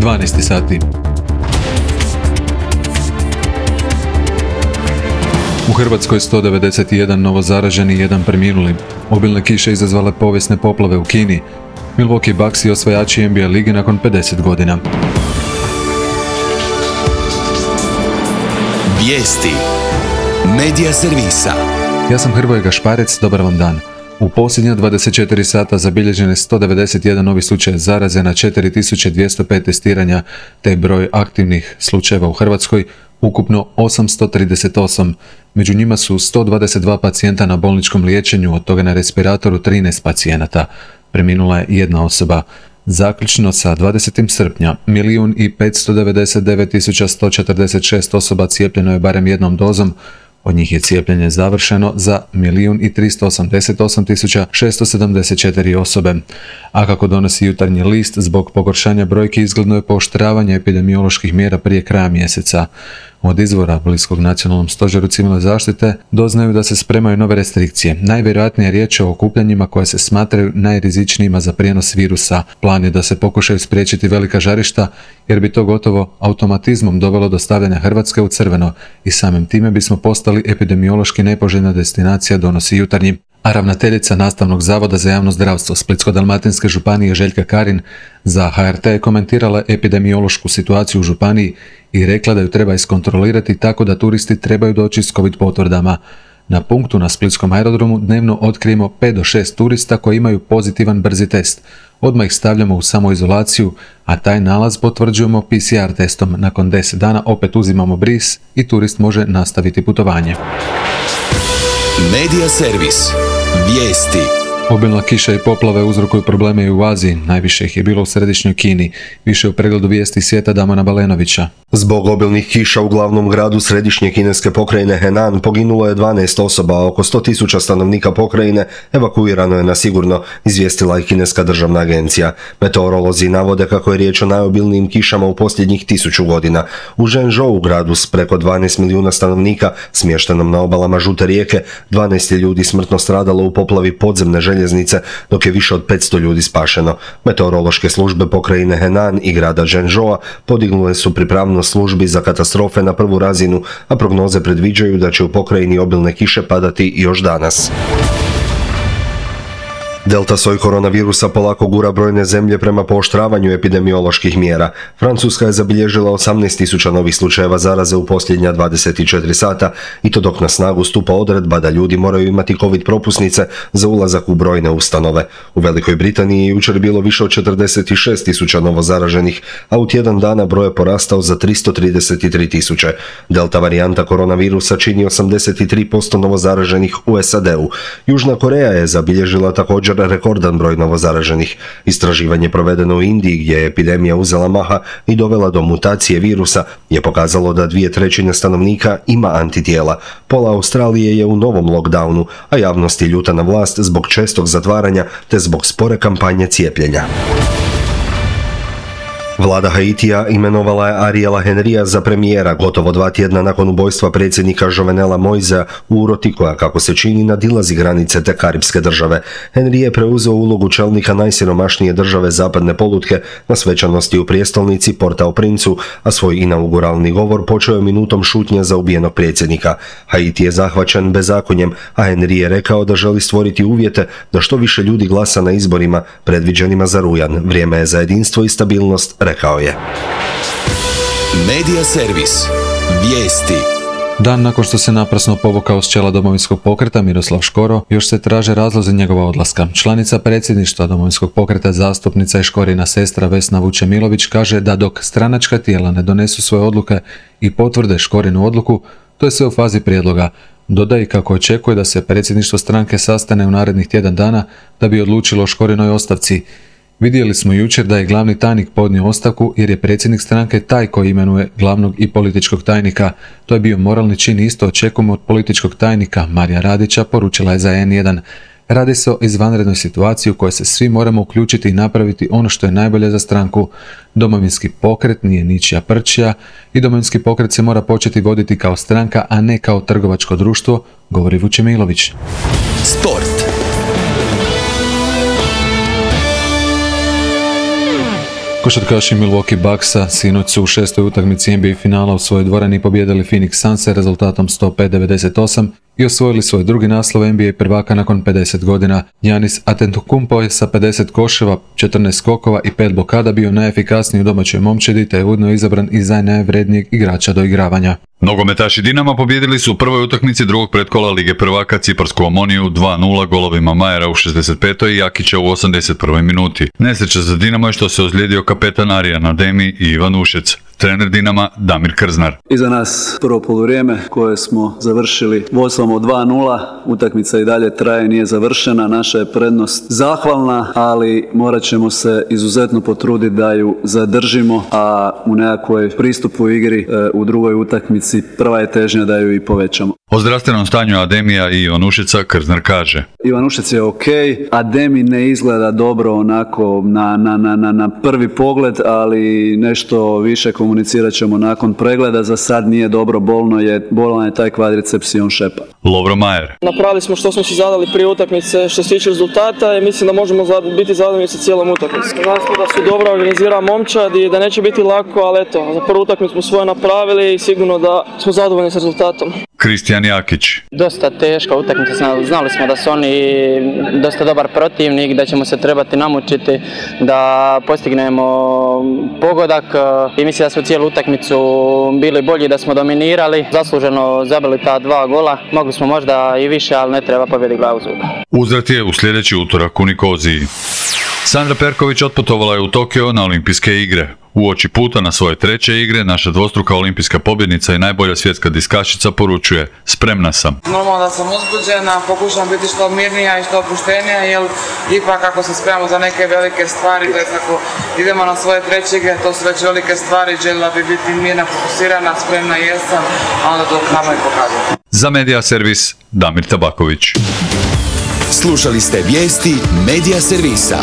12 sati. U Hrvatskoj 191 novozaraženi i 1 preminuli. Obilne kiše izazvale povijesne poplave u Kini. Milwaukee Bucksi osvajači NBA lige nakon 50 godina. Vijesti. Medija servisa. Ja sam Hrvoje Gašparec, dobar vam dan. U posljednja 24 sata zabilježen je 191 novi slučaj zaraze na 4205 testiranja, te broj aktivnih slučajeva u Hrvatskoj ukupno 838. Među njima su 122 pacijenta na bolničkom liječenju, od toga na respiratoru 13 pacijenata. Preminula je jedna osoba. Zaključno sa 20. srpnja, 1.599.146 osoba cijepljeno je barem jednom dozom, od njih je cijepljenje završeno za 1.388.674 osobe. A kako donosi Jutarnji list, zbog pogoršanja brojki izgledno je pooštravanje epidemioloških mjera prije kraja mjeseca. Od izvora bliskog Nacionalnom stožeru civilne zaštite doznaju da se spremaju nove restrikcije. Najvjerojatnije je riječ o okupljanjima koje se smatraju najrizičnijima za prijenos virusa. Plan je da se pokušaju spriječiti velika žarišta, jer bi to gotovo automatizmom dovelo do stavljanja Hrvatske u crveno i samim time bismo postali epidemiološki nepoželjna destinacija, donosi Jutarnji. A ravnateljica Nastavnog zavoda za javno zdravstvo Splitsko-dalmatinske županije Željka Karin za HRT je komentirala epidemiološku situaciju u županiji i rekla da ju treba iskontrolirati tako da turisti trebaju doći s COVID potvrdama. Na punktu na splitskom aerodromu dnevno otkrijemo 5 do 6 turista koji imaju pozitivan brzi test. Odmah ih stavljamo u samoizolaciju, a taj nalaz potvrđujemo PCR testom. Nakon 10 dana opet uzimamo bris i turist može nastaviti putovanje. Medija servis. Vijesti. Obilna kiša i poplave uzrokuju probleme i u Aziji, najviše ih je bilo u središnjoj Kini. Više u pregledu vijesti svijeta Damona Balenovića. Zbog obilnih kiša u glavnom gradu središnje kineske pokrajine Henan poginulo je 12 osoba, a oko 100.000 stanovnika pokrajine evakuirano je na sigurno, izvijestila je kineska državna agencija. Meteorolozi navode kako je riječ o najobilnijim kišama u posljednjih 1000 godina. U Zhengzhou, gradu s preko 12 milijuna stanovnika, smještenom na obalama Žute rijeke, 12 je ljudi smrtno stradalo u poplavi podzemne željeznice, dok je više od 500 ljudi spašeno. Meteorološke službe pokrajine Henan i grada Zhengzhoua podignule su pripravnost službi za katastrofe na prvu razinu, a prognoze predviđaju da će u pokrajini obilne kiše padati još danas. Delta soj koronavirusa polako gura brojne zemlje prema pooštravanju epidemioloških mjera. Francuska je zabilježila 18.000 novih slučajeva zaraze u posljednja 24 sata i to dok na snagu stupa odredba da ljudi moraju imati COVID propusnice za ulazak u brojne ustanove. U Velikoj Britaniji je jučer bilo više od 46.000 novozaraženih, a u tjedan dana broj je porastao za 333.000. Delta varijanta koronavirusa čini 83% novozaraženih u SAD-u. Južna Koreja je zabilježila također rekordan broj novozaraženih. Istraživanje provedeno u Indiji, gdje je epidemija uzela maha i dovela do mutacije virusa, je pokazalo da 2/3 stanovnika ima antitijela. Pola Australije je u novom lockdownu, a javnost je ljuta na vlast zbog čestog zatvaranja te zbog spore kampanje cijepljenja. Vlada Haitija imenovala je Ariela Henrya za premijera gotovo 2 tjedna nakon ubojstva predsjednika Jovenela Moisea u uroti koja, kako se čini, nadilazi granice te karipske države. Henry je preuzeo ulogu čelnika najsiromašnije države zapadne polutke na svečanosti u prijestolnici Port-au-Princu, a svoj inauguralni govor počeo je minutom šutnje za ubijenog predsjednika. Haiti je zahvaćen bezakonjem, a Henry je rekao da želi stvoriti uvjete da što više ljudi glasa na izborima predviđenima za rujan. Vrijeme je za jedinstvo i stabilnost, rekao je. Medija servis. Vijesti. Dan nakon što se naprasno povukao s čela Domovinskog pokreta Miroslav Škoro, još se traže razlozi njegova odlaska. Članica predsjedništva Domovinskog pokreta, zastupnica i Škorina sestra Vesna Vučemilović kaže da dok stranačka tijela ne donesu svoje odluke i potvrde Škorinu odluku, to je sve u fazi prijedloga. Dodaje kako očekuje da se predsjedništvo stranke sastane u narednih tjedan dana da bi odlučilo o Škorinoj ostavci. Vidjeli smo jučer da je glavni tajnik podnio ostavku jer je predsjednik stranke taj koji imenuje glavnog i političkog tajnika. To je bio moralni čin i isto očekujemo od političkog tajnika Marija Radića, poručila je za N1. Radi se o izvanrednoj situaciji u kojoj se svi moramo uključiti i napraviti ono što je najbolje za stranku. Domovinski pokret nije ničija prčija i Domovinski pokret se mora početi voditi kao stranka, a ne kao trgovačko društvo, govori Vučemilović. Sport. Košarkaši Milwaukee Bucksa sinoć su u 6. utakmici NBA finala u svojoj dvorani pobijedili Phoenix Sunse rezultatom 105-98 i osvojili svoj drugi naslov NBA prvaka nakon 50 godina. Giannis Antetokounmpo je sa 50 koševa, 14 skokova i 5 blokada bio najefikasniji u domaćoj momčadi te je ujedno izabran i za najvrednijeg igrača do igravanja. Nogometaši Dinama pobijedili su u prvoj utakmici drugog pretkola Lige prvaka Ciparsku Omoniju 2-0 golovima Majera u 65. i Jakića u 81. minuti. Nesreća za Dinamo je što se ozlijedio kapetan Arijan Ademi i Ivan Ušec. Trener Dinama Damir Krznar. Iza nas prvo poluvrijeme koje smo završili vodstvom od 2-0. Utakmica i dalje traje, nije završena. Naša je prednost zahvalna, ali morat ćemo se izuzetno potruditi da ju zadržimo, a u nekakvoj pristupu igri u drugoj utakmici prva je težnja da ju i povećamo. O zdravstvenom stanju Ademija i Ivan Ušeca Krznar kaže. Ivan Ušec je ok, Ademi ne izgleda dobro onako na prvi pogled, ali nešto više komunicirat ćemo nakon pregleda. Za sad nije dobro, bolan je taj kvadriceps i on šepa. Lovro Majer. Napravili smo što smo si zadali prije utakmice što se tiče rezultata i mislim da možemo biti zadovoljni sa cijelom utakmicom. Znamo da su dobro organizirana momčad i da neće biti lako, ali eto, za prvu utakmicu smo svoje napravili i sigurno da smo zadovoljni s rezultatom. Kristijan Jakić. Dosta teška utakmica, znali smo da su oni dosta dobar protivnik, da ćemo se trebati namučiti da postignemo pogodak i mislim da smo cijelu utakmicu bili bolji, da smo dominirali, zasluženo zabili ta 2 gola, mogli smo možda i više, ali ne treba pobjedi glavu zuba. Uzvrat je u sljedeći utorak u Nikoziji. Sandra Perković otputovala je u Tokio na olimpijske igre. Uoči puta na svoje 3. igre, naša dvostruka olimpijska pobjednica i najbolja svjetska diskašica poručuje: spremna sam. Normalno da sam uzbuđena, pokušam biti što mirnija i što opuštenija, jer ipak ako se spremamo za neke velike stvari, to je ako idemo na svoje 3. igre, to su već velike stvari, željela bi biti mirna, fokusirana, spremna jesam, a onda to nama i pokazati. Za Medija servis Damir Tabaković. Slušali ste vijesti Medija servisa.